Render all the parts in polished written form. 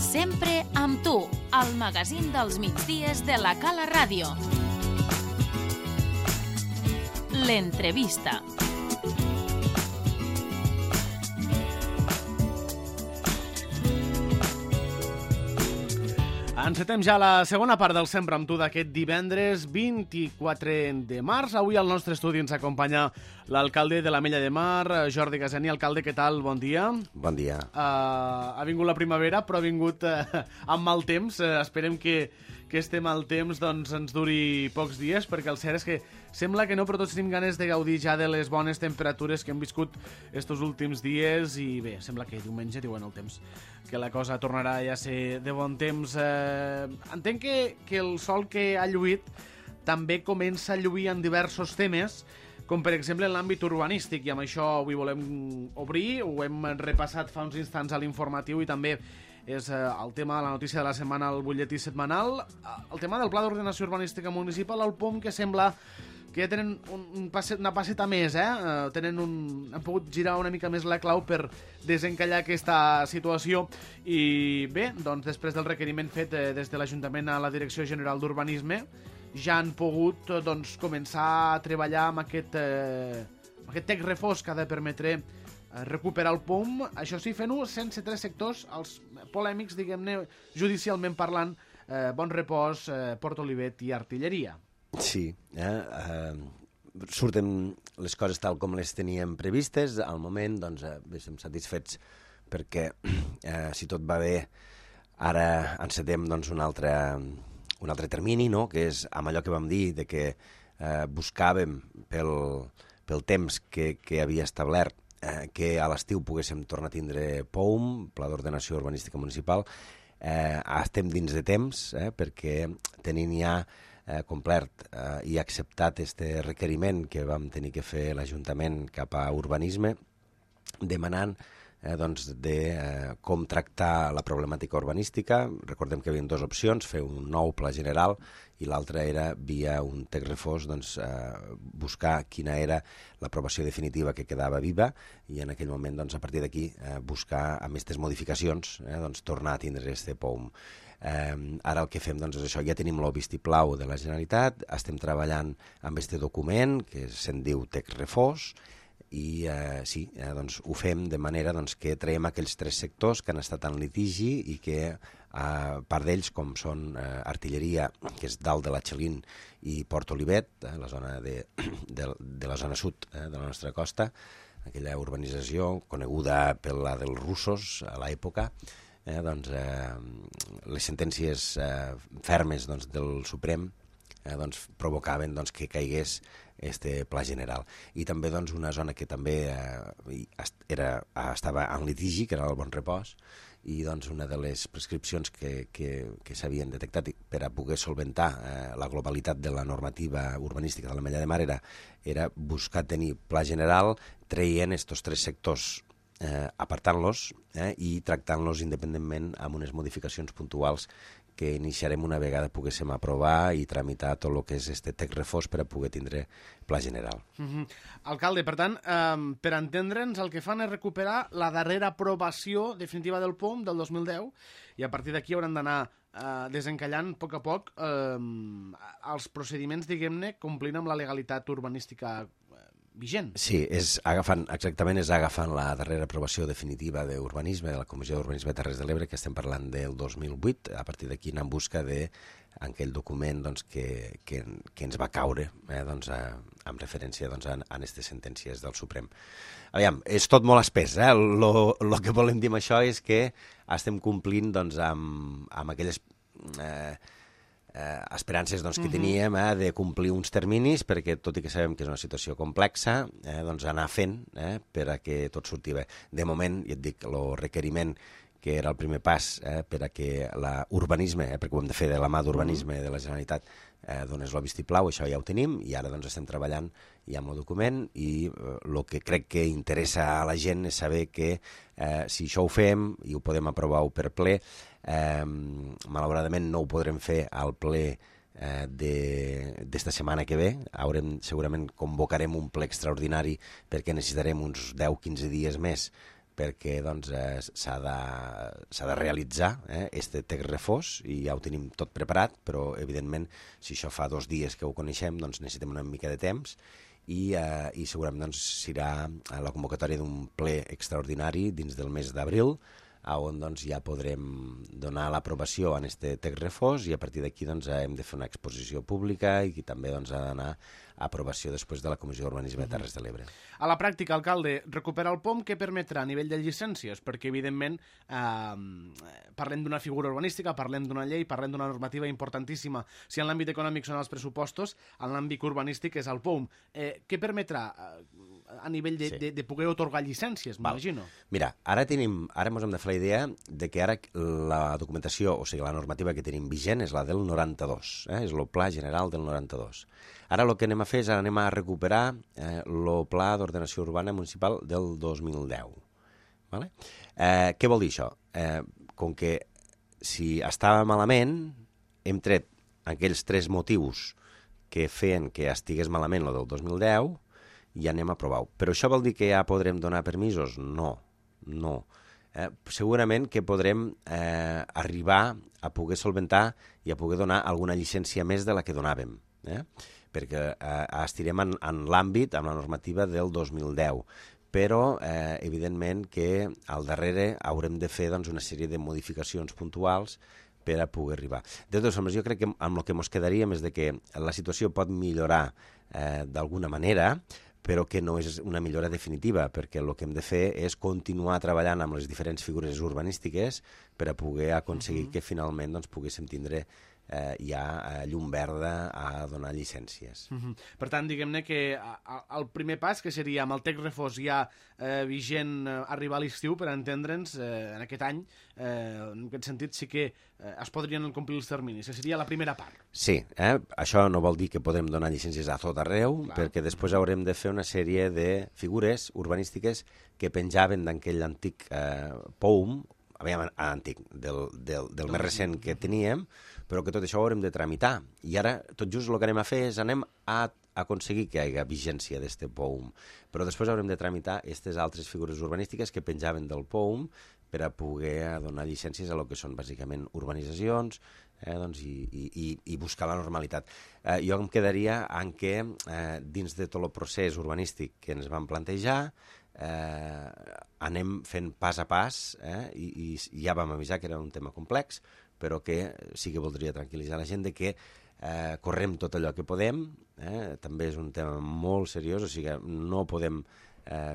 Sempre amb tu, al magazín dels migdies de la Cala Ràdio. L'entrevista. Encetem ja la segona part del Sempre amb tu d'aquest divendres 24 de març. Avui al nostre estudi ens acompanya l'alcalde de l'Ametlla de Mar, Jordi Gasani. Alcalde, què tal? Bon dia. Bon dia. Ha vingut la primavera, però ha vingut amb mal temps. Esperem que este mal temps doncs, ens duri pocs dies, perquè el cert és que sembla que no, però tots tenim ganes de gaudir ja de les bones temperatures que hem viscut estos últims dies i bé, sembla que diumenge diuen el temps que la cosa tornarà ja a ser de bon temps. Entenc que el sol que ha lluït també comença a lluir en diversos temes, com per exemple en l'àmbit urbanístic, i amb això avui volem obrir, ho hem repassat fa uns instants a l'informatiu i també és el tema de la notícia de la setmana al butlletí setmanal, el tema del Pla d'Ordenació Urbanística Municipal, el POM, que sembla que ja tenen una passeta més, han pogut girar una mica més la clau per desencallar aquesta situació. I bé, doncs després del requeriment fet des de l'Ajuntament a la Direcció General d'Urbanisme, ja han pogut començar a treballar amb aquest text refós que ha de permetre recuperar el POM, això sí, fent-ho sense tres sectors, els polèmics, diguem-ne, judicialment parlant, Bon Repòs, Port Olivet i Artilleria. Sí, surten les coses tal com les teníem previstes. Al moment, doncs, estem satisfets perquè, si tot va bé, ara encetem doncs, un altre termini, no?, que és amb allò que vam dir, de que buscàvem pel temps que havia establert que a l'estiu poguéssim tornar a tindre POM, Pla d'Ordenació Urbanística Municipal. Estem dins de temps, perquè tenint ja complert i acceptat este requeriment que vam tenir que fer l'Ajuntament cap a Urbanisme, demanant de com tractar la problemàtica urbanística. Recordem que hi havia dues opcions, fer un nou pla general i l'altra era, via un text refós, buscar quina era l'aprovació definitiva que quedava viva i en aquell moment, a partir d'aquí, buscar, amb aquestes modificacions, tornar a tindre este POM. Ara el que fem és això, ja tenim el vistiplau de la Generalitat, estem treballant amb este document que se'n diu text refós i ho fem de manera que traiem aquells tres sectors que han estat en litigi i que part d'ells, com són Artilleria, que és dalt de la Xalín, i Port Olivet, la zona de la zona sud de la nostra costa, aquella urbanització coneguda per la dels russos a l'època, les sentències fermes del Suprem provocaven que caigués este pla general. I també una zona que també estava en litigi, que era el Bon Repòs, i una de les prescripcions que s'havien detectat per a poder solventar la globalitat de la normativa urbanística de l'Ametlla de Mar era buscar tenir pla general traient estos tres sectors, apartant-los i tractant-los independentment amb unes modificacions puntuals que iniciarem una vegada poguéssim aprovar i tramitar tot el que és este text refós per a poder tindre pla general. Alcalde, per tant, per entendre'ns, el que fan és recuperar la darrera aprovació definitiva del POM del 2010 i a partir d'aquí hauran d'anar desencallant a poc els procediments, diguem-ne, complint amb la legalitat urbanística vigent. Sí, és agafant la darrera aprovació definitiva d'urbanisme, de la Comissió d'Urbanisme de Terres de l'Ebre, que estem parlant del 2008, a partir d'aquí anar en busca d'aquell document que ens va caure amb referència a aquestes sentències del Suprem. Aviam, és tot molt espès, el que volem dir amb això és que estem complint amb aquelles esperances que teníem de complir uns terminis, perquè tot i que sabem que és una situació complexa, anar fent per a que tot surti bé. De moment, ja et dic, el requeriment que era el primer pas per a que l'urbanisme, perquè ho hem de fer de la mà d'urbanisme de la Generalitat, donés el vistiplau, això ja ho tenim, i ara estem treballant ja amb el document, i el que crec que interessa a la gent és saber que si això ho fem i ho podem aprovar-ho per ple, malauradament no ho podrem fer al ple d'esta setmana que ve. Segurament convocarem un ple extraordinari perquè necessitarem uns 10-15 dies més perquè doncs, s'ha de realitzar este text refós i ja ho tenim tot preparat, però evidentment si això fa 2 dies que ho coneixem doncs necessitem una mica de temps i segurament doncs, serà la convocatòria d'un ple extraordinari dins del mes d'abril on doncs, ja podrem donar l'aprovació en aquest text refós i a partir d'aquí doncs, hem de fer una exposició pública i també doncs, ha d'anar a aprovació després de la Comissió d'Urbanisme de Terres de l'Ebre. A la pràctica, alcalde, recuperar el POM què permetrà a nivell de llicències? Perquè, evidentment, parlem d'una figura urbanística, parlem d'una llei, parlem d'una normativa importantíssima. Si en l'àmbit econòmic són els pressupostos, en l'àmbit urbanístic és el POM. Què permetrà a nivell de poder otorgar llicències, m'imagino? Mira, ara ens hem de fer la idea de que ara la documentació, o sigui, la normativa que tenim vigent és la del 92, és el Pla General del 92. Ara el que anem a fer és anem a recuperar el Pla d'Ordenació Urbana Municipal del 2010. Vale? Què vol dir això? Com que si estava malament, hem tret aquells 3 motius que feien que estigués malament el del 2010 i anem a aprovar-ho. Però això vol dir que ja podrem donar permisos? No. Segurament que podrem arribar a poder solventar i a poder donar alguna llicència més de la que donàvem. Perquè estirem en l'àmbit, amb la normativa del 2010, però evidentment que al darrere haurem de fer doncs, una sèrie de modificacions puntuals per a poder arribar. De totes formes, jo crec que amb el que ens quedaríem és de que la situació pot millorar d'alguna manera, però que no és una millora definitiva, perquè el que hem de fer és continuar treballant amb les diferents figures urbanístiques per a poder aconseguir que finalment doncs, poguéssim tindre ja llum verda a donar llicències. Per tant, diguem-ne que el primer pas, que seria amb el text refós ja vigent arribar a l'estiu, per entendre'ns, en aquest any, en aquest sentit sí que es podrien complir els terminis, que seria la primera part. Sí, això no vol dir que podrem donar llicències a tot arreu, perquè després haurem de fer una sèrie de figures urbanístiques que penjaven d'aquell antic POUM, antic, del més recent que teníem, però que tot això ho haurem de tramitar. I ara, tot just el que anem a fer és anem a aconseguir que hi hagi vigència d'aquest POUM. Però després haurem de tramitar aquestes altres figures urbanístiques que penjaven del POUM per a poder donar llicències a lo que són bàsicament urbanitzacions doncs, i buscar la normalitat. Jo em quedaria en què dins de tot el procés urbanístic que ens vam plantejar anem fent pas a pas i ja vam avisar que era un tema complex, però que sí que voldria tranquil·litzar la gent de que correm tot allò que podem, també és un tema molt seriós, o sigui que no podem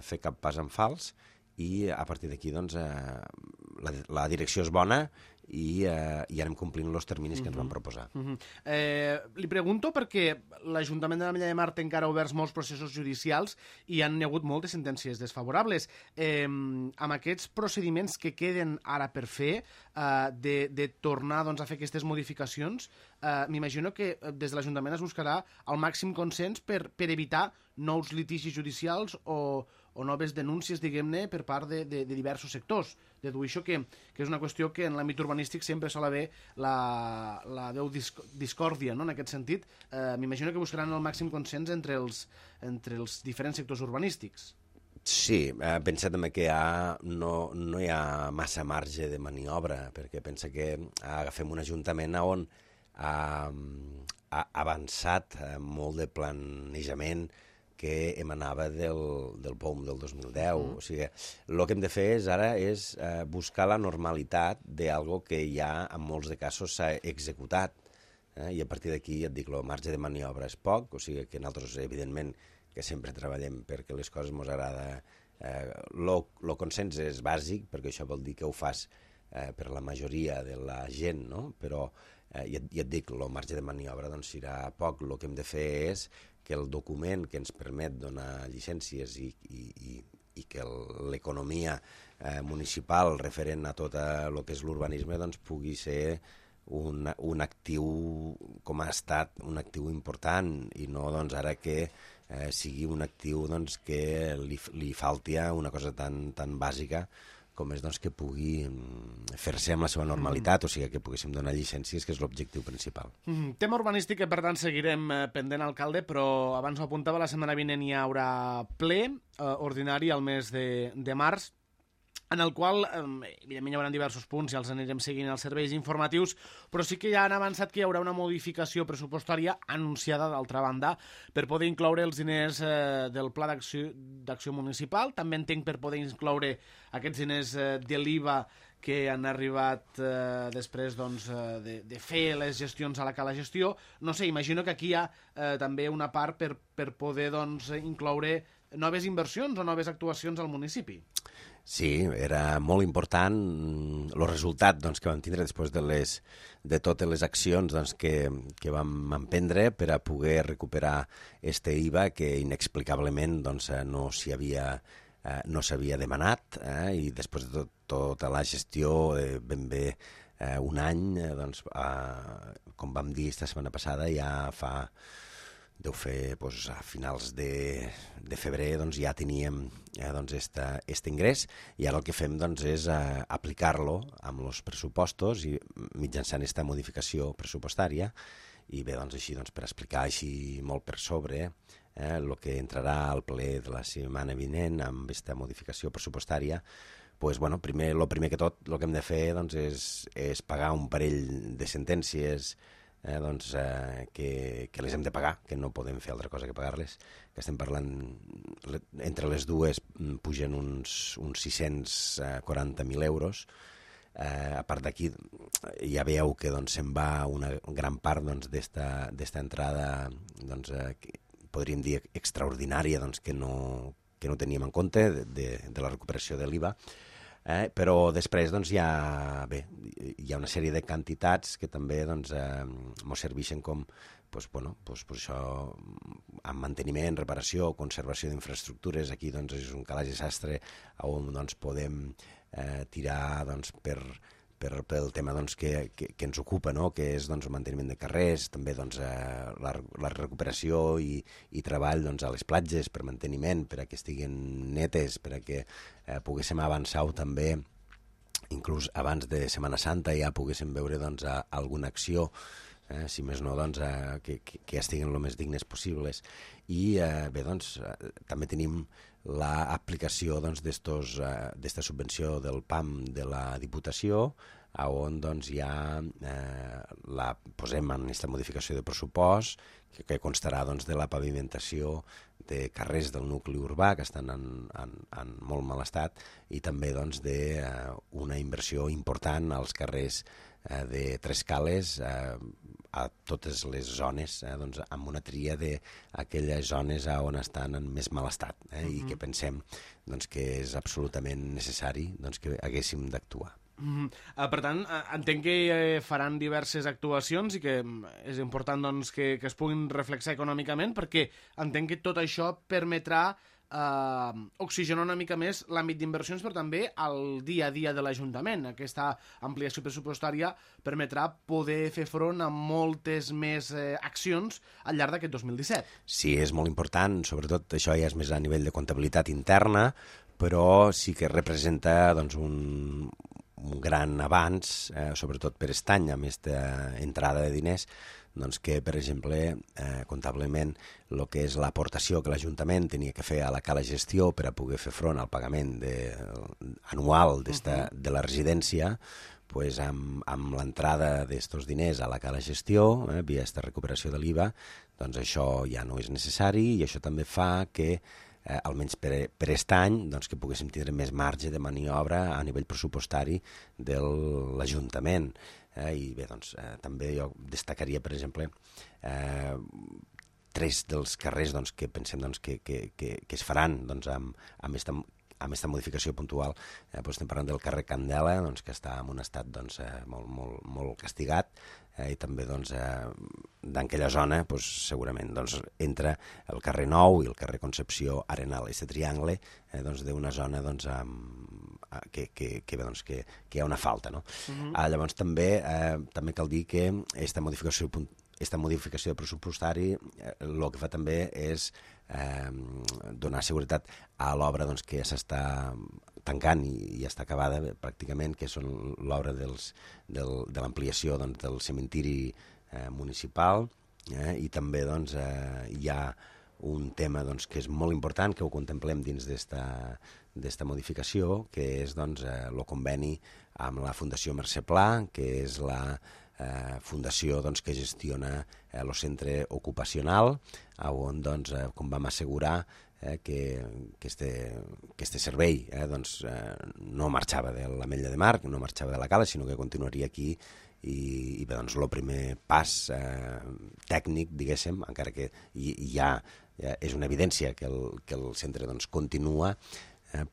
fer cap pas en fals i a partir d'aquí doncs, la direcció és bona i anem complint els terminis que ens vam proposar. Li pregunto perquè l'Ajuntament de l'Ametlla de Mar té encara oberts molts processos judicials i han hagut moltes sentències desfavorables. Amb aquests procediments que queden ara per fer, de tornar doncs, a fer aquestes modificacions, m'imagino que des de l'Ajuntament es buscarà el màxim consens per evitar nous litigis judicials o noves denúncies, diguem-ne, per part de diversos sectors. Dedueixo que és una qüestió que en l'àmbit urbanístic sempre sol haver la veu discòrdia, no? En aquest sentit, m'imagino que buscaran el màxim consens entre els diferents sectors urbanístics. Sí, pensa també que no hi ha massa marge de maniobra, perquè pensa que agafem un ajuntament on ha avançat molt de planejament que emanava del POUM del 2010. O sigui, el que hem de fer ara és buscar la normalitat d'algo que ja en molts de casos s'ha executat. I a partir d'aquí, ja et dic, el marge de maniobra és poc, o sigui que nosaltres, evidentment, que sempre treballem perquè les coses ens agrada. El consens és bàsic, perquè això vol dir que ho fas per la majoria de la gent, no? Però ja et dic, el marge de maniobra doncs, serà poc. El que hem de fer és que el document que ens permet donar llicències i que l'economia municipal referent a tot el que és l'urbanisme doncs, pugui ser un actiu, com ha estat, un actiu important i no doncs, ara que sigui un actiu doncs, que li falti una cosa tan bàsica com és doncs, que pugui fer-se amb la seva normalitat, o sigui que poguéssim donar llicències, que és l'objectiu principal. Tema urbanístic que, per tant, seguirem pendent, alcalde, però abans ho apuntava, la setmana vinent hi haurà ple ordinari al mes de març. en el qual, evidentment, hi haurà diversos punts i els anirem seguint els serveis informatius, però sí que ja han avançat que hi haurà una modificació pressupostària anunciada, d'altra banda, per poder incloure els diners del Pla d'Acció Municipal. També entenc per poder incloure aquests diners de l'IVA que han arribat després de fer les gestions a la Cala Gestió. No sé, imagino que aquí hi ha també una part per poder incloure noves inversions o noves actuacions al municipi. Sí, era molt important el resultat que vam tindre després de totes les accions que vam emprendre per a poder recuperar este IVA que inexplicablement no s'havia demanat, i després de tota la gestió ben bé un any, com vam dir esta setmana passada, ja deu fer a finals de febrer ja teníem este ingrés, i ara el que fem és aplicar-lo amb els pressupostos i mitjançant aquesta modificació pressupostària. I bé, així per explicar així molt per sobre el que entrarà al ple de la setmana vinent amb aquesta modificació pressupostària, el primer que tot el que hem de fer és pagar un parell de sentències que les hem de pagar, que no podem fer altra cosa que pagar-les, que estem parlant, entre les dues pugen uns 640.000 euros. A part d'aquí ja veieu que se'n va una gran part d'esta entrada, podríem dir extraordinària, que no teníem en compte de la recuperació de l'IVA. Però després hi ha una sèrie de quantitats que també ens serveixen com això, amb manteniment, reparació, conservació d'infraestructures. Aquí és un calaix de sastre on podem tirar pel tema que ens ocupa, que és el manteniment de carrers, també la recuperació i treball a les platges per manteniment, per a que estiguin netes, per a que poguéssim avançar també, inclús abans de Setmana Santa ja poguéssim veure alguna acció, si més no, que estiguin el més dignes possibles. I bé, també tenim l'aplicació d'esta subvenció del PAM de la Diputació, on ja la posem en aquesta modificació de pressupost, que constarà de la pavimentació de carrers del nucli urbà, que estan en molt mal estat, i també d'una inversió important als carrers de Tres Cales, a totes les zones, amb una tria d'aquelles zones on estan en més mal estat, i que pensem que és absolutament necessari que haguéssim d'actuar. Per tant, entenc que faran diverses actuacions i que és important que es puguin reflexar econòmicament, perquè entenc que tot això permetrà oxigenar una mica més l'àmbit d'inversions, però també el dia a dia de l'Ajuntament. Aquesta ampliació pressupostària permetrà poder fer front a moltes més accions al llarg d'aquest 2017. Sí, és molt important, sobretot això ja és més a nivell de comptabilitat interna, però sí que representa un gran avanç, sobretot per aquest any, amb aquesta entrada de diners, que, per exemple, comptablement, el que és l'aportació que l'Ajuntament tenia que fer a la Cala Gestió per a poder fer front al pagament anual de la residència, amb l'entrada d'aquests diners a la Cala Gestió, via aquesta recuperació de l'IVA, això ja no és necessari, i això també fa que almenys per aquest any, que poguéssim tindre més marge de maniobra a nivell pressupostari de l'Ajuntament. I bé, també jo destacaria, per exemple, 3 dels carrers que pensem que es faran amb aquesta modificació puntual. Estem parlant del carrer Candela, que està en un estat molt castigat, i també d'aquella zona segurament entra el carrer Nou i el carrer Concepció Arenal, aquest triangle d'una zona que hi ha una falta. Llavors també cal dir que aquesta modificació pressupostari el que fa també és donar seguretat a l'obra que s'està tancant i ja està acabada pràcticament, que són l'obra de l'ampliació del cementiri municipal, i també hi ha un tema doncs, que és molt important, que ho contemplem dins d'esta modificació, que és doncs, el conveni amb la Fundació Mercè Pla, que és la fundació doncs, que gestiona el centre ocupacional, on doncs, com vam assegurar que este servei doncs, no marxava de l'Ametlla de Mar, no marxava de la Cala, sinó que continuaria aquí i bé, doncs, el primer pas tècnic, diguéssim, encara que ja és una evidència que el centre doncs, continua,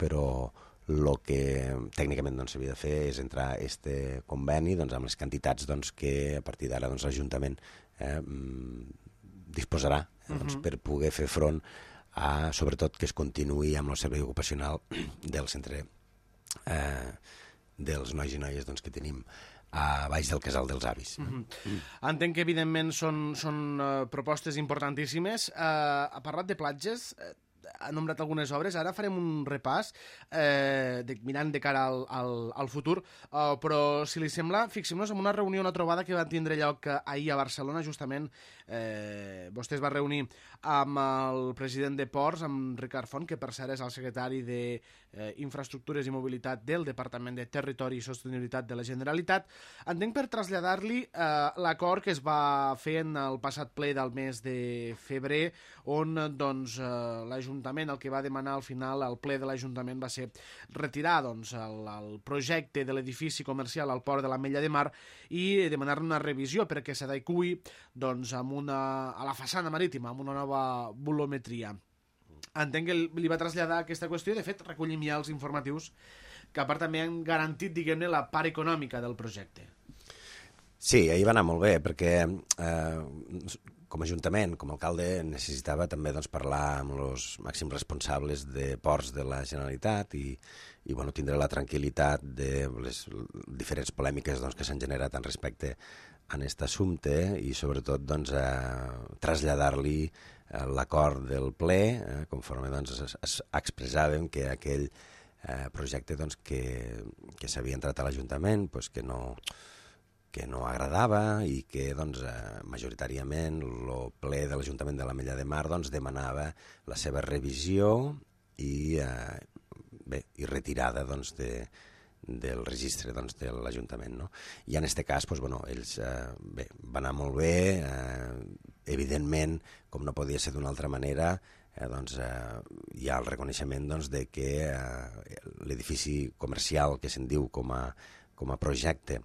però el que tècnicament doncs, s'havia de fer és entrar a este conveni doncs, amb les quantitats doncs, que a partir d'ara doncs, l'Ajuntament disposarà doncs, per poder fer front a, sobretot, que es continuï amb el servei ocupacional del centre dels nois i noies doncs, que tenim a baix del Casal dels Avis. Entenc que, evidentment, són propostes importantíssimes. Ha parlat de platges, ha nombrat algunes obres, ara farem un repàs mirant de cara al futur, però si li sembla, fixem-nos en una reunió, una trobada que va tindre lloc ahir a Barcelona, justament vostè es va reunir amb el president de Ports, amb Ricard Font, que per cert és el secretari d'Infraestructures i Mobilitat del Departament de Territori i Sostenibilitat de la Generalitat. Entenc per traslladar-li l'acord que es va fer en el passat ple del mes de febrer, on doncs, l'Ajuntament el que va demanar al final, el ple de l'Ajuntament, va ser retirar doncs, el projecte de l'edifici comercial al port de l'Ametlla de Mar i demanar-ne una revisió perquè s'adeqüi doncs, a la façana marítima, amb una nova volumetria. Entenc que li va traslladar aquesta qüestió i, de fet, recollim ja els informatius que a part també han garantit, diguem-ne, la part econòmica del projecte. Sí, ahir va anar molt bé, perquè com a Ajuntament, com a alcalde, necessitava també doncs, parlar amb els màxims responsables de ports de la Generalitat i bueno, tindre la tranquil·litat de les diferents polèmiques doncs, que s'han generat en respecte a aquest assumpte i sobretot doncs, traslladar-li l'acord del ple, conforme doncs, expressàvem que aquell projecte doncs, que s'havia entrat a l'Ajuntament pues, que no agradava i que doncs, majoritàriament el ple de l'Ajuntament de l'Ametlla de Mar doncs, demanava la seva revisió i retirada doncs, del registre doncs, de l'Ajuntament. No? I en aquest cas doncs, bueno, ells van anar molt bé, evidentment, com no podia ser d'una altra manera, doncs, hi ha el reconeixement doncs, de que l'edifici comercial que se'n diu com a projecte,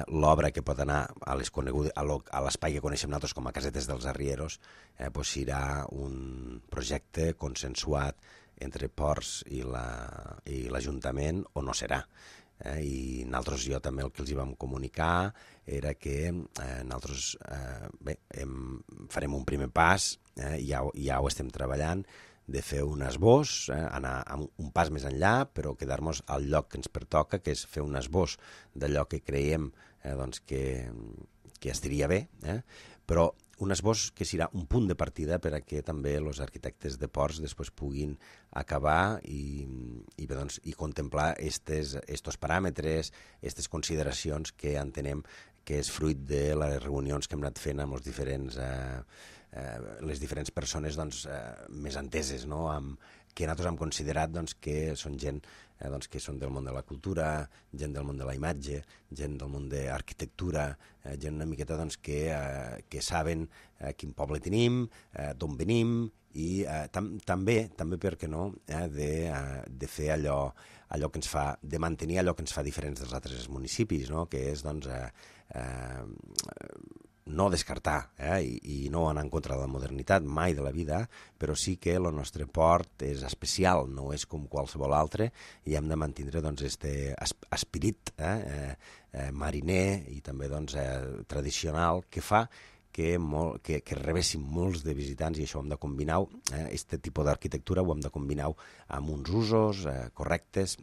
l'obra que pot anar a l'espai que coneixem nosaltres com a Casetes dels Arrieros, doncs serà un projecte consensuat entre Ports i l'Ajuntament o no serà. I nosaltres, jo també el que els hi vam comunicar era que nosaltres farem un primer pas, ja ho estem treballant, de fer un esbós, anar un pas més enllà, però quedar-nos al lloc que ens pertoca, que és fer un esbós d'allò que creiem doncs, que estaria bé, però un esbós que serà un punt de partida per a que també els arquitectes de ports després puguin acabar i contemplar estos paràmetres, aquestes consideracions que entenem que és fruit de les reunions que hem anat fent amb les diferents persones doncs, més enteses, no? Que nosaltres hem considerat doncs, que són gent doncs, que són del món de la cultura, gent del món de la imatge, gent del món de l'arquitectura, gent una miqueta doncs, que saben quin poble tenim, d'on venim i també, per què no, de fer allò que ens fa, de mantenir allò que ens fa diferents dels altres municipis, no? Que és doncs, no descartar i no anar en contra de la modernitat mai de la vida, però sí que el nostre port és especial, no és com qualsevol altre i hem de mantenir doncs, este esperit mariner i també doncs, tradicional que fa que rebessin molts de visitants i això ho hem de combinar, aquest tipus d'arquitectura ho hem de combinar amb uns usos correctes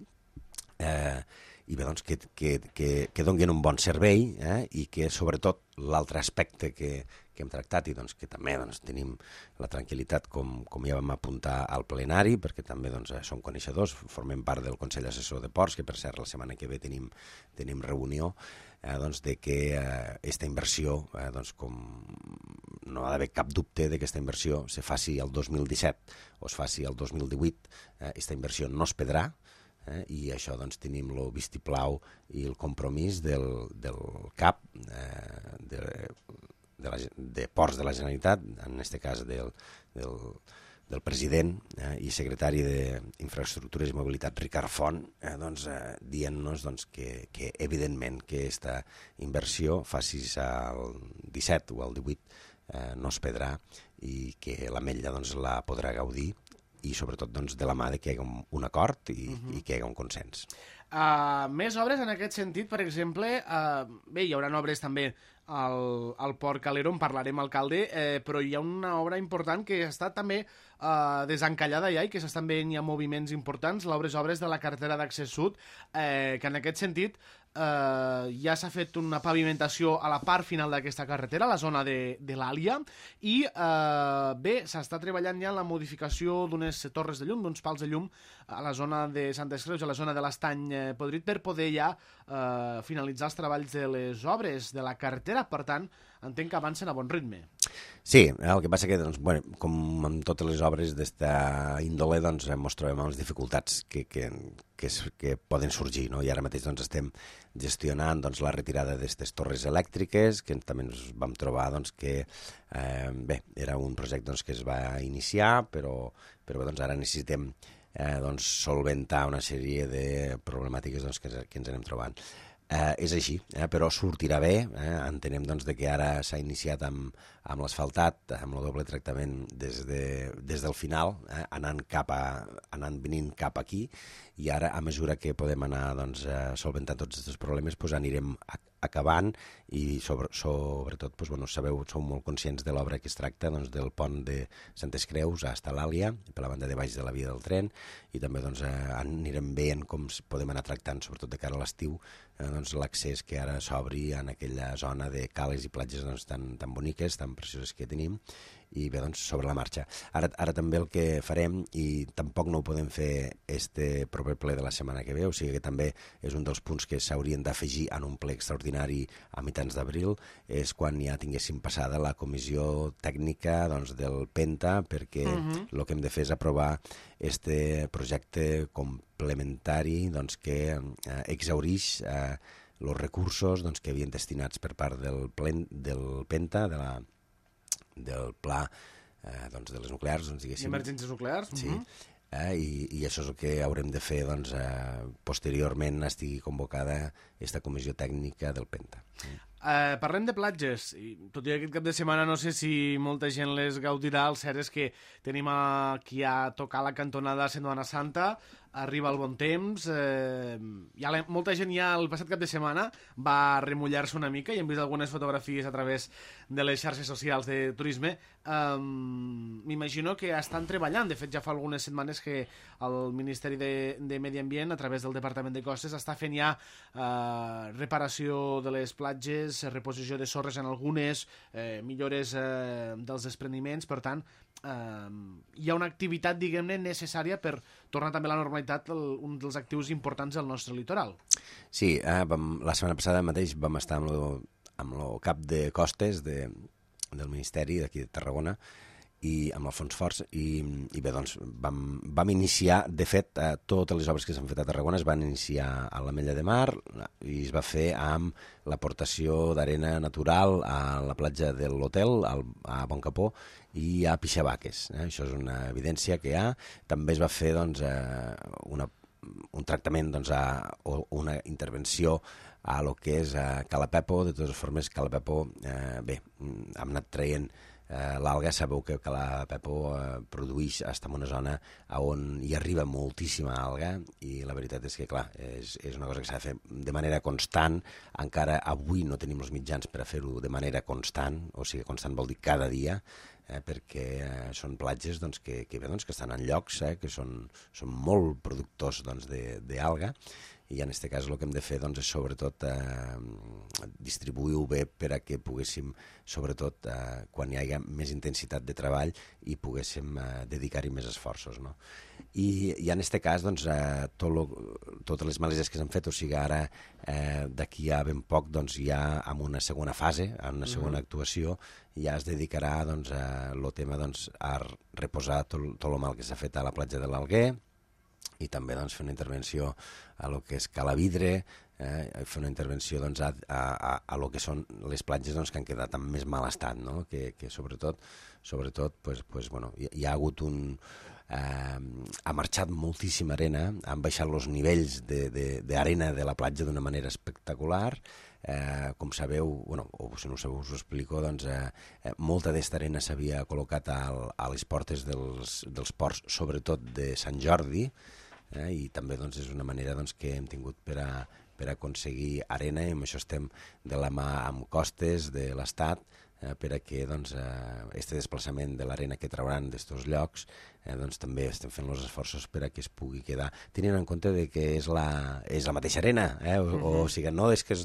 i bé, doncs, que donguin un bon servei, i que, sobretot, l'altre aspecte que hem tractat i doncs, que també doncs, tenim la tranquil·litat, com ja vam apuntar al plenari, perquè també doncs, som coneixedors, formem part del Consell Assessor de Ports, que per cert la setmana que ve tenim reunió, doncs, de que aquesta inversió, doncs, com no ha d'haver cap dubte de que aquesta inversió se faci el 2017 o es faci el 2018, aquesta inversió no es perdrà, i això doncs, tenim el vistiplau i el compromís del CAP de Ports de la Generalitat, en aquest cas del president i secretari d'Infraestructures i Mobilitat, Ricard Font, doncs, dient-nos doncs, que evidentment que aquesta inversió, facis el 17 o el 18, no es perdrà i que l'Ametlla doncs, la podrà gaudir, i sobretot doncs, de la mà de que hi hagi un acord i que hi hagi un consens. Més obres en aquest sentit, per exemple, bé, hi haurà obres també al Port Calero, en parlarem, alcalde, però hi ha una obra important que està també desencallada ja i que s'estan veient ja moviments importants, obres de la carretera d'accés sud, que en aquest sentit ja s'ha fet una pavimentació a la part final d'aquesta carretera, a la zona de l'Àlia, i bé, s'està treballant ja en la modificació d'unes torres de llum, d'uns pals de llum a la zona de Santes Creus, a la zona de l'Estany Podrit, per poder ja finalitzar els treballs de les obres de la carretera. Per tant, entenc que avancen a bon ritme. Sí, el que passa que, doncs, bueno, com amb totes les obres d'esta índole, doncs, ens trobem amb les dificultats que poden sorgir, no? I ara mateix doncs, estem gestionant doncs, la retirada d'aquestes torres elèctriques, que també ens vam trobar doncs, que bé, era un projecte doncs, que es va iniciar, però doncs, ara necessitem doncs, solventar una sèrie de problemàtiques doncs, que ens anem trobant. És així, però sortirà bé, entenem doncs, que ara s'ha iniciat amb l'asfaltat, amb el doble tractament des del final, anant venint cap aquí, i ara, a mesura que podem anar doncs, solventant tots aquests problemes, doncs, anirem acabant i sobretot, doncs, bueno, sabeu, sou molt conscients de l'obra que es tracta, doncs, del pont de Santes Creus a l'Àlia, per la banda de baix de la via del tren, i també doncs, anirem veient com podem anar tractant, sobretot de cara a l'estiu, doncs, l'accés que ara s'obri en aquella zona de cales i platges doncs, tan boniques, tan precioses que tenim, i bé, doncs, sobre la marxa. Ara també el que farem, i tampoc no ho podem fer este proper ple de la setmana que ve, o sigui que també és un dels punts que s'haurien d'afegir en un ple extraordinari a mitjans d'abril, és quan ja tinguéssim passada la comissió tècnica doncs, del Penta, perquè el que hem de fer és aprovar este projecte complementari doncs, que exhaurix els recursos doncs, que havien destinats per part del Penta, del pla doncs, de les nuclears, doncs, diguéssim. Emergències nuclears. Sí. I això és el que haurem de fer doncs, posteriorment estigui convocada aquesta comissió tècnica del Penta. Parlem de platges, i tot i aquest cap de setmana no sé si molta gent les gaudirà. El cert és que tenim aquí a tocar la cantonada a Setmana Santa, arriba el bon temps, molta gent ja el passat cap de setmana va remullar-se una mica i hem vist algunes fotografies a través de les xarxes socials de turisme. M'imagino que estan treballant, de fet ja fa algunes setmanes que el Ministeri de Medi Ambient a través del Departament de Costes està fent ja reparació de les platges, reposició de sorres en algunes, millores dels despreniments. Per tant, hi ha una activitat, diguem-ne, necessària per tornar també a la normalitat, un dels actius importants del nostre litoral. Sí, la setmana passada mateix vam estar amb el cap de costes del Ministeri d'aquí de Tarragona i amb Alfons Forts, i bé, doncs vam iniciar, de fet, totes les obres que s'han fet a Tarragona es van iniciar a l'Ametlla de Mar i es va fer amb l'aportació d'arena natural a la platja de l'hotel, a Boncapó i a Pixabaques. Això és una evidència que hi ha. També es va fer doncs, un tractament doncs, o una intervenció a lo que és Cala Pepo. De totes formes, Cala Pepo, bé, hem anat traient l'alga. Sabeu que Cala Pepo produeix, està en una zona on hi arriba moltíssima alga, i la veritat és que, clar, és una cosa que s'ha de fer de manera constant. Encara avui no tenim els mitjans per a fer-ho de manera constant, o sigui, constant vol dir cada dia, perquè són platges doncs, que estan en llocs que són molt productors doncs, d'alga, i en aquest cas el que hem de fer doncs, és sobretot distribuir-ho bé per a que poguéssim, sobretot quan hi hagi més intensitat de treball, i poguéssim dedicar-hi més esforços. No? I en aquest cas, doncs, totes les maleses que s'han fet, o sigui, ara d'aquí a ben poc doncs, ja en una segona fase, en una segona actuació, ja es dedicarà doncs, el tema doncs, a reposar tot el mal que s'ha fet a la platja de l'Alguer, i també doncs, fer una intervenció a lo que és Calavidre, fer una intervenció doncs, a lo que són les platges doncs, que han quedat en més mal estat, no? que sobretot pues, bueno, hi ha hagut ha marxat moltíssima arena, han baixat els nivells d'arena de la platja d'una manera espectacular. Com sabeu, bueno, o si no ho sabeu us ho explico, doncs, molta d'aquesta arena s'havia col·locat a les portes dels ports, sobretot de Sant Jordi, i també doncs, és una manera doncs, que hem tingut per aconseguir arena, i amb això estem de la mà amb Costes de l'Estat, per a que doncs, este desplaçament de l'arena que trauran d'estos llocs doncs, també estem fent els esforços per a que es pugui quedar, tenint en compte de que és la mateixa arena, o sigui, no és que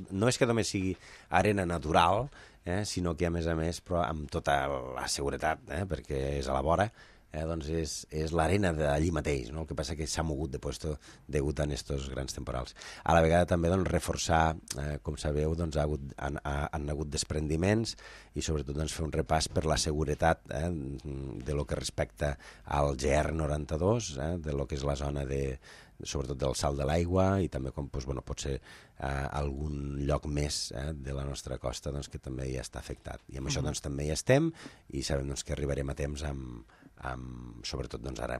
només sigui arena natural, sinó que a més, però amb tota la seguretat, perquè és a la vora, doncs és l'arena d'allí mateix, no? El que passa que s'ha mogut de puesto degut a aquests grans temporals. A la vegada també doncs, reforçar, com sabeu, doncs, han hagut desprendiments, i sobretot doncs, fer un repàs per la seguretat de lo que respecta al GR92, de lo que és la zona sobretot del salt de l'aigua, i també com doncs, bueno, pot ser algun lloc més de la nostra costa doncs, que també ja està afectat. I amb això doncs, també hi estem, i sabem doncs, que arribarem a temps sobretot doncs, ara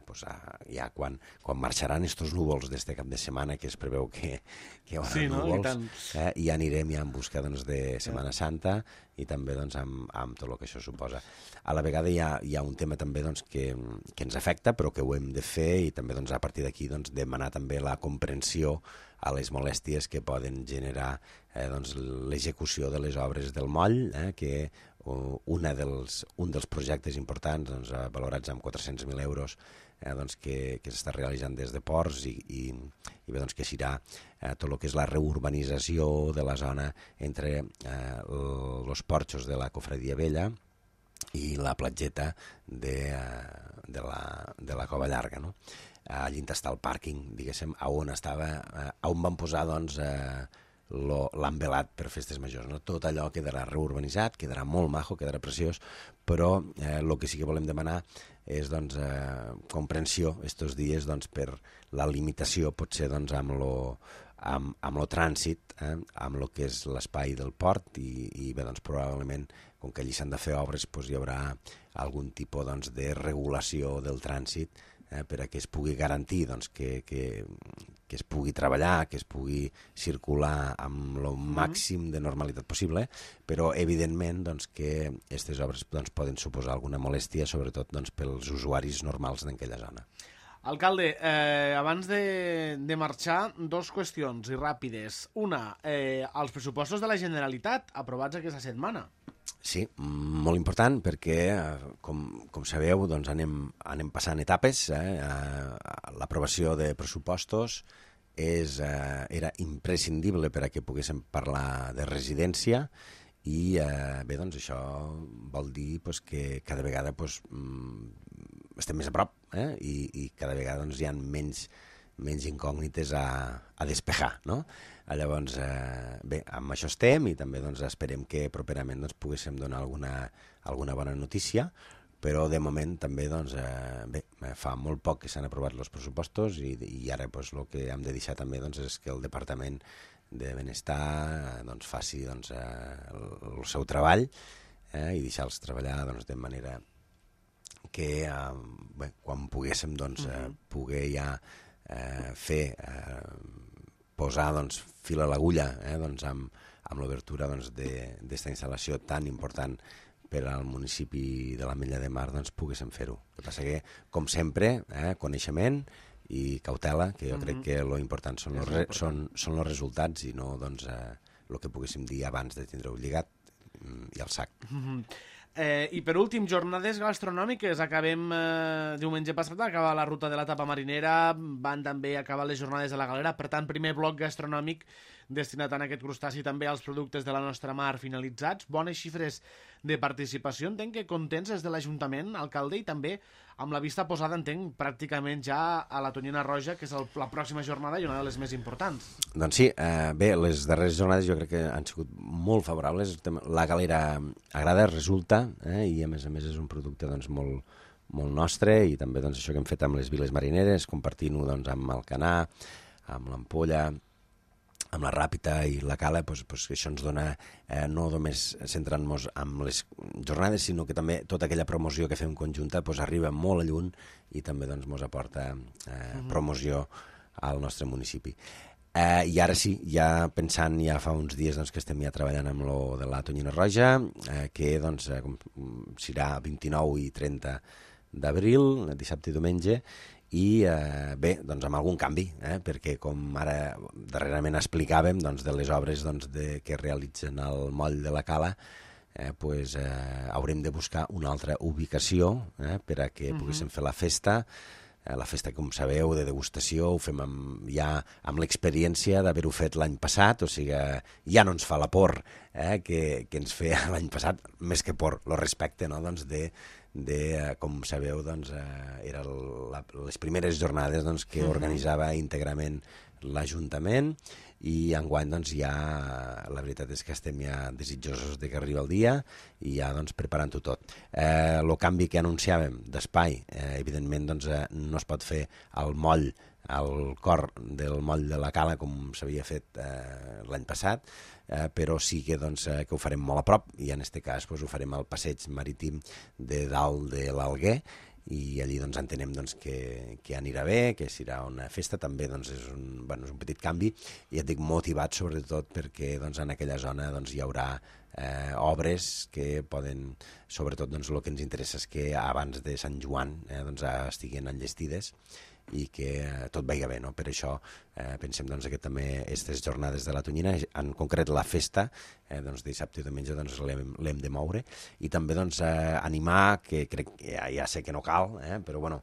ja quan marxaran estos núvols d'este cap de setmana, que es preveu que hi haurà núvols, i anirem ja en busca doncs, de Setmana Santa, i també doncs, amb tot el que això suposa. A la vegada hi ha un tema també doncs, que ens afecta, però que ho hem de fer, i també doncs, a partir d'aquí doncs, demanar també la comprensió a les molèsties que poden generar doncs, l'execució de les obres del moll, que un dels projectes importants doncs, valorats amb 400.000 euros doncs, que s'està realitzant des de Ports, i bé, doncs, que serà tot el que és la reurbanització de la zona entre els porxos de la Cofradia Vella i la platgeta de la Cova Llarga, no? Allí està el pàrquing, diguéssim, on van posar doncs, l'envelat per festes majors. No? Tot allò quedarà reurbanitzat, quedarà molt maco, quedarà preciós, però el que sí que volem demanar és doncs, comprensió estos dies doncs, per la limitació, potser doncs, amb lo trànsit, amb lo que és l'espai del port, i bé, doncs, probablement, com que allí s'han de fer obres, doncs, hi haurà algun tipus doncs, de regulació del trànsit, per a que es pugui garantir doncs, que es pugui treballar, que es pugui circular amb el màxim de normalitat possible, però evidentment doncs, que aquestes obres doncs, poden suposar alguna molèstia, sobretot doncs, pels usuaris normals d'aquella zona. Alcalde, abans de marxar, dos qüestions i ràpides. Una, els pressupostos de la Generalitat aprovats aquesta setmana. Sí, molt important, perquè, com sabeu, doncs anem passant etapes. L'aprovació de pressupostos era imprescindible per a que poguéssim parlar de residència, i bé, doncs això vol dir doncs, que cada vegada doncs, estem més a prop, i cada vegada doncs, hi ha menys incògnites a despejar, no? Llavors, bé, amb això estem, i també doncs, esperem que properament doncs, poguéssim donar alguna bona notícia, però de moment també doncs, bé, fa molt poc que s'han aprovat els pressupostos, i ara doncs, el que hem de deixar també doncs, és que el Departament de Benestar doncs, faci doncs, el seu treball, i deixar-los treballar doncs, de manera que bé, quan poguéssim doncs, poder ja posar doncs, fil a l'agulla doncs, amb l'obertura doncs, d'esta instal·lació tan important per al municipi de l'Ametlla de Mar, doncs poguéssim fer-ho. El que passa que, com sempre, coneixement i cautela, que jo crec que lo important són els resultats, i no doncs, el que poguéssim dir abans de tindre-ho lligat i al sac. I per últim, jornades gastronòmiques. Acabem diumenge passat, acaba la ruta de la tapa marinera, van també acabar les jornades de la galera, per tant, primer bloc gastronòmic destinat a aquest crustaci, també als productes de la nostra mar finalitzats. Bones xifres de participació, entenc que contents des de l'Ajuntament, alcalde, i també amb la vista posada, entenc, pràcticament ja a la Tonyina Roja, que és la pròxima jornada i una de les més importants. Doncs sí, bé, les darreres jornades jo crec que han sigut molt favorables. La galera agrada, resulta, i a més és un producte doncs, molt nostre, i també doncs, això que hem fet amb les viles marineres, compartint-ho doncs, amb el Canà, amb l'Ampolla, amb la Ràpita i la Cala, doncs, això ens dona no només centrant-nos en les jornades, sinó que també tota aquella promoció que fem conjunta doncs, arriba molt a lluny i també doncs, ens aporta promoció al nostre municipi. I ara sí, ja pensant, ja fa uns dies doncs, que estem ja treballant amb lo de la Tonyina Roja, que doncs, serà 29 i 30 d'abril, dissabte i diumenge, i bé, doncs amb algun canvi, perquè com ara darrerament explicàvem doncs, de les obres doncs, que realitzen al moll de la Cala, haurem de buscar una altra ubicació per a que poguéssim fer la festa, com sabeu, de degustació, ho fem ja amb l'experiència d'haver-ho fet l'any passat, o sigui, ja no ens fa la por que ens feia l'any passat, més que por, el respecte, no?, doncs com sabeu, doncs, eren les primeres jornades doncs, que organitzava íntegrament l'Ajuntament, i enguany doncs, ja la veritat és que estem ja desitjosos de que arribi el dia i ja doncs, preparant-ho tot. El canvi que anunciàvem d'espai, evidentment doncs, no es pot fer al moll, al cor del moll de la Cala com s'havia fet l'any passat, però sí que, doncs, que ho farem molt a prop, i en aquest cas doncs, ho farem al passeig marítim de dalt de l'Alguer, i allí doncs, entenem doncs, que anirà bé, que serà una festa. També doncs, és un petit canvi, i et dic motivat sobretot perquè doncs, en aquella zona doncs, hi haurà obres que poden, sobretot doncs, el que ens interessa és que abans de Sant Joan doncs, estiguin enllestides i que tot vagi bé, no? Per això pensem doncs, que també aquestes jornades de la Tonyina, en concret la festa, doncs, dissabte i diumenge doncs, l'hem de moure, i també doncs, animar, que crec que ja sé que no cal, però bueno,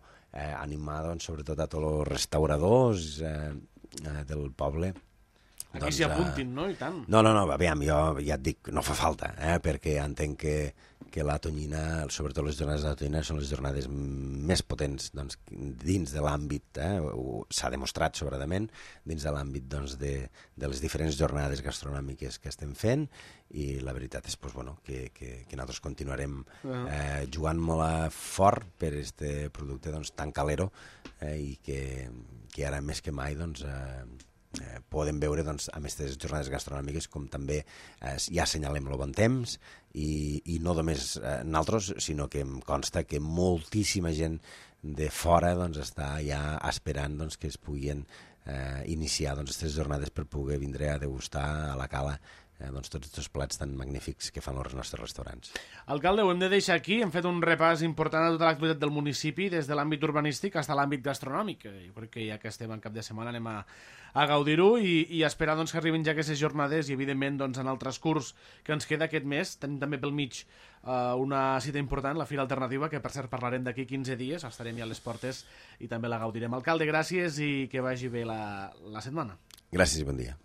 animar doncs, sobretot a tots els restauradors del poble. Aquí s'hi apuntin, no? I tant. No, aviam, jo ja et dic, no fa falta, perquè entenc que la Tonyina, sobretot les jornades de la Tonyina, són les jornades més potents doncs, dins de l'àmbit, s'ha demostrat sobradament, dins de l'àmbit doncs, de les diferents jornades gastronòmiques que estem fent, i la veritat és pues, bueno, que nosaltres continuarem jugant molt fort per aquest producte doncs, tan calero, i que ara més que mai doncs, podem veure doncs, amb aquestes jornades gastronòmiques com també ja assenyalem el bon temps, i no només nosaltres, sinó que em consta que moltíssima gent de fora doncs, està ja esperant doncs, que es puguin iniciar aquestes jornades per poder vindre a degustar a la Cala doncs, tots aquests plats tan magnífics que fan els nostres restaurants. Alcalde, ho hem de deixar aquí. Hem fet un repàs important a tota l'activitat del municipi, des de l'àmbit urbanístic fins a l'àmbit gastronòmic. Jo crec que ja que estem en cap de setmana anem a gaudir-ho i esperar doncs, que arribin ja aquestes jornades, i evidentment doncs, en el transcurs que ens queda aquest mes tenim també pel mig una cita important, la Fira Alternativa, que per cert parlarem d'aquí 15 dies, estarem ja a les portes i també la gaudirem. Alcalde, gràcies i que vagi bé la setmana. Gràcies i bon dia.